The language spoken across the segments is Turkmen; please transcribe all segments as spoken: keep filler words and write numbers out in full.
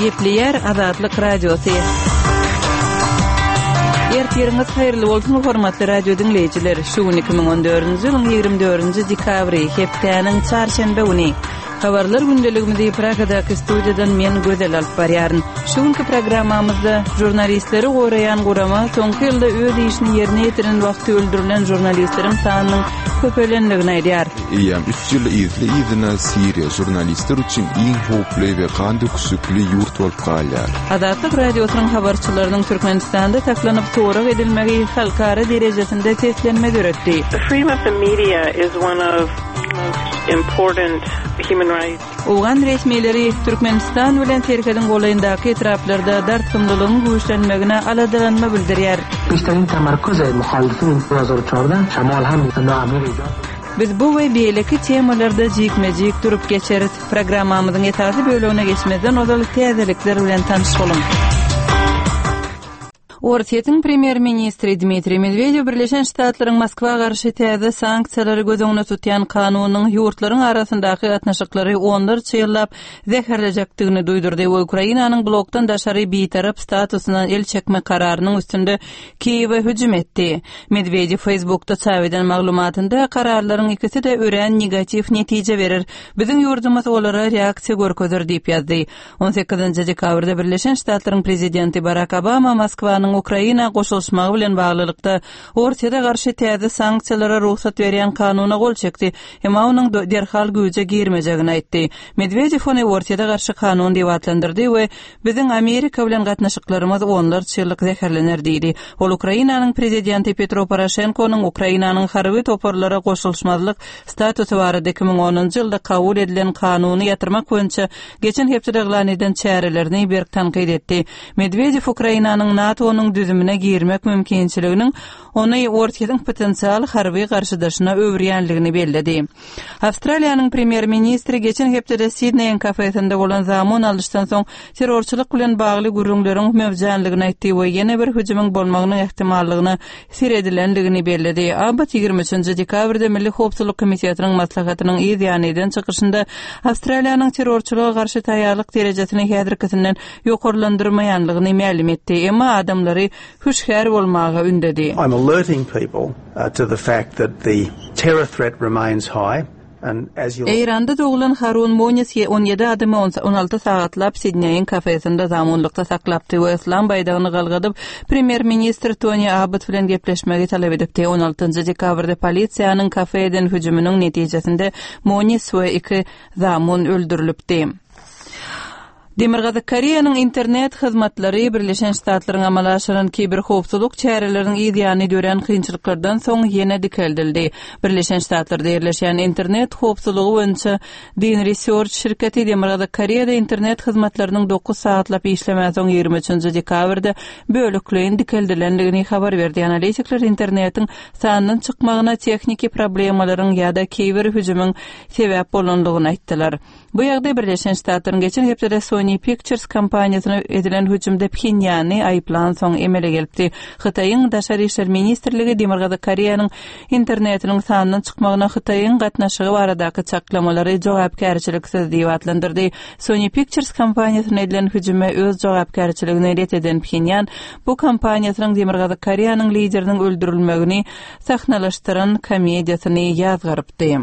Gepleýär Azatlyk Radiosy. Ertiriňiz haýyrly bolsun, hormatly radio diňleýjiler. Şu gün iki müň on dördünji ýylyň ýigrimi dördünji dekabry, hepdäniň çarşenbe güni. Habarlar gündeligimizi Pragadaky studiýadan men Gözel alyp barýaryn. Şu günki programmamyzda žurnalistleri goraýan gurama soňky ýylda öz işini ýerine ýetiren wagty öldürilen žurnalistleriň sanynyň köpelendigini aýdýar. Eýýäm üç ýyl yzly-yzyna Siriýa žurnalistler üçin iň howply we gan döküşikli ýurt bolup galýar. Azatlyk Radiosynyň habarçylarynyň Türkmenistanda saklanyp sorag edilmegi halkara derejesinde seslenme döretdi. The freedom of the media is one of most important human rights. Owgan resmileri Türkmenistan bilen serhediň golaýyndaky etraplarda dartgynlylygyň güýçlenmegine aladalanma bildirýär. بیشترین تمرکز مخالفین دو هزار و چهارده شمال هم ناامنی ایجاد Biz bu we beýleki temalarda jikme-jik durup geçeris. Programmamyzyň esasy bölegine geçmezden ozal täzelikler bilen tanyş boluň. Orsýetiň premýer-ministri Dmitriý Medwedew Birleşen Ştatlaryň Moskwa garşy täze sanksiýalary göz öňünde tutýan kanunyň ýurtlaryň arasyndaky gatnaşyklary onlarça ýyllap zäherlejekdigini duýdurdy we Ukrainanyň blokdan daşary bitarap statusyndan el çekme kararynyň üstünde Kiýewe hüjüm etdi. Medwedew Facebookda çap eden maglumatynda kararlaryň ikisi-de örän negatiw netije berer. Biziň ýurdumyz olara reaksiýa görkezer diýip ýazdy. On sekizinji dekabrda Birleşen Ştatlaryň prezidenti Barak Obama Moskwanyň Ukraina goşulyşmagy bilen baglylykda Orsýete garşy täze sanksiýalara rugsat berýän kanuna gol çekdi. Emma onuň do-, derhal güýje girmejegini aýtdy. Medwedew ony Orsýete garşy kanun diýip atlandyrdy we biziň Amerika bilen gatnaşyklarymyz onlarça ýyllyk zäherlener diýdi. Ol Ukrainanyň prezidenti Petro Poroşenkonyň Ukrainanyň harby toparlara goşulyşmazlyk statusy barada iki müň onunjy ýylda kabul edilen kanuny ýatyrmak boýunça geçen hepdede yglan eden çärelerini berk tankyt etdi. Medwedew Ukrainanyň NATO-nyň düzümine girmek mümkinçiliginiň ony Orsýetiň potensial harby garşydaşyna öwürýänligini belledi. Awstraliýanyň premýer-ministri geçen hepdede Sidneýiň kafesinde bolan zamun alyşdan soň terrorçylyk bilen bagly gürrüňleriň mewjanlygyny aýtdy we ýene bir hüjümiň bolmagynyň ähtimallygyna seredilenligini belledi. Abbott ýigrimi üçünji dekabrda Milli Howpsuzlyk Komitetiniň maslahatynyň yz ýany eden çykyşynda Awstraliýanyň terrorçylyga garşy taýýarlyk derejesini häzirkisinden ýokarlandyrmaýanlygyny mälim etdi. Emma adamlary hüşgär bolmaga ündedi. I'm alerting people, uh, to the fact that the terror threat remains high. And as you'll Eýranda doglan Harun Monis on ýedi adamy on, on alty sagatlap Sidneýiň kafesinde zamunlykda saklapdy we yslam baýdagyny galgadyp premýer-ministr Tony Abbott bilen gepleşmegi talap edipdi. On altynjy dekabrda polisiýanyň kafe eden hüjüminiň netijesinde Monis we iki zamun öldürilipdi. Demirgazyk Koreýanyň internet hyzmatlary Birleşen Ştatlaryň amala aşyran kiberhowpsuzlyk çäreleriniň yz ýany dörän kynçylyklardan soň ýene dikeldildi. Birleşen Ştatlarda ýerleşen internet howpsuzlygy boýunça Dyn Research şirketi Demirgazyk Koreýada internet hyzmatlarynyň dokuz sagatlap işlemän soň ýigrimi üçünji dekabrda bölekleýin dikeldilendigini habar berdi. Analitikler internetiň sandan çykmagyna tehniki problemalaryň ýa-da kiber hüjümiň sebäp bolandygyny aýtdylar. Bu ýagdaý Birleşen Ştatlaryň geçen hepdede Sony Pictures kompaniýasyna edilen hüjümde Phenýany aýyplan soň emele gelipdi. Hytaýyň Daşary işler ministrligi Demirgazyk Koreýanyň internetiniň sandan çykmagyna Hytaýyň gatnaşygy baradaky çaklamalary jogapkärçiliksiz diýip atlandyrdy. Sony Pictures kompaniýasyna edilen hüjüme öz jogapkärçiligini ret eden Phenýan bu kompaniýasynyň Demirgazyk Koreýanyň lideriniň öldürilmegini sahnalaşdyran komediýasyny ýazgarypdy.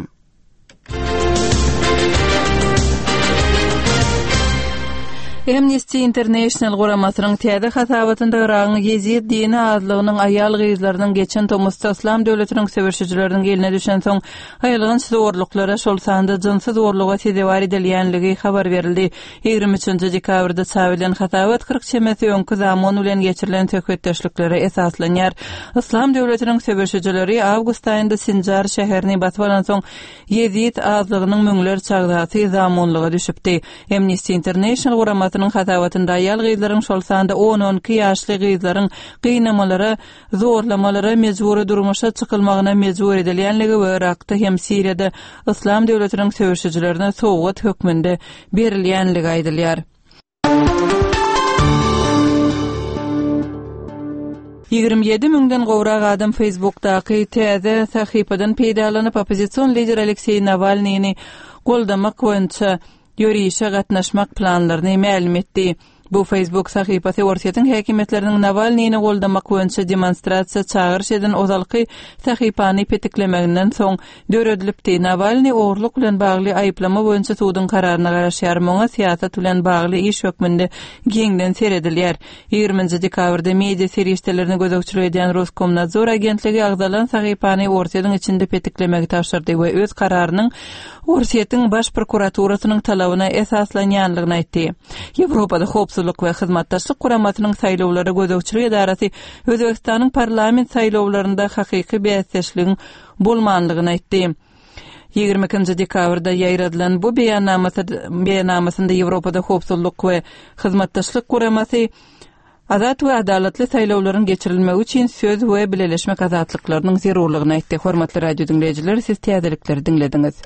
Amnesty International guramasynyň täze hasabatynda Yragyň Ýezid dini azlygynyň aýal gyzlarynyň geçen tomusda Islam döwletiniň söweşijileriniň eline düşen soň aýylganç zorluklara, şol sanda jynsy zorluga sezewar edilýänligi habar berildi. Ýigrimi üçünji dekabrda çap edilen hasabat kyrk çemesi öňki zaman bilen geçirilen söhbetdeşliklere esaslanýar. Islam döwletiniň söweşijileri awgust aýynda Sinjar şäherini basyp alan soň Ýezid azlygynyň müňlerçe agzasy zamunlyga düşüpdi. Amnesty International guramasynyň hasabatynda aýal gyzlaryň şol sanda on-on iki ýaşly gyzlaryň gynamalara, zorlamalara mejbury durmuşa çykylmagyna mejbur edilýänligi we Irakda hem Siriýada Islam döwletiniň söweşijilerine sowgat hökmünde berilýänligi aýdylýar. Ýigrimi ýedi müňden gowrak adam Facebookdaky täze sahypadan peýdalanyp oppozision lider Alekseý Nawalnyny goldamak boýunça ýörişe gatnaşmak planlaryny mälim etdi. Bu Facebook sahypasy Orsýetiň häkimiýetleriniň Nawalnyny goldamak boýunça demonstrasiýa çagyryş eden ozalky sahypany petiklemeginden soň döredilipdi. Nawalny ogurlyk bilen bagly aýyplama boýunça suduň kararyna garaşýar. Muňa syýasat bilen bagly iş hökmünde giňden seredilýär. Ýigriminji dekabrda media serişdelerini gözegçilik edýän Roskomnadzor agentligi agzalan sahypany Orsýetiň içinde petiklemegi tabşyrdy we öz kararynyň Orsýetiň Baş prokuraturasynyň talabyna esaslanýanlygyny aýtdy. Ýewropada Howpsuzlyk we Hyzmatdaşlyk Guramasynyň Saýlawlara gözegçilik edarasy Özbegistanyň parlament saýlawlarynda hakyky bäsdeşligiň bolmanlygyny aýtdy. Ýigrimi ikinji dekabrda ýaýradylan bu beýannamasynda Ýewropada Howpsuzlyk we Hyzmatdaşlyk Guramasy azat we adalatly saýlawlaryň geçirilmegi üçin söz we bileleşmek azatlyklarynyň zerurlygyny aýtdy. Hormatly radio diňleýjiler, siz täzelikleri diňlediňiz.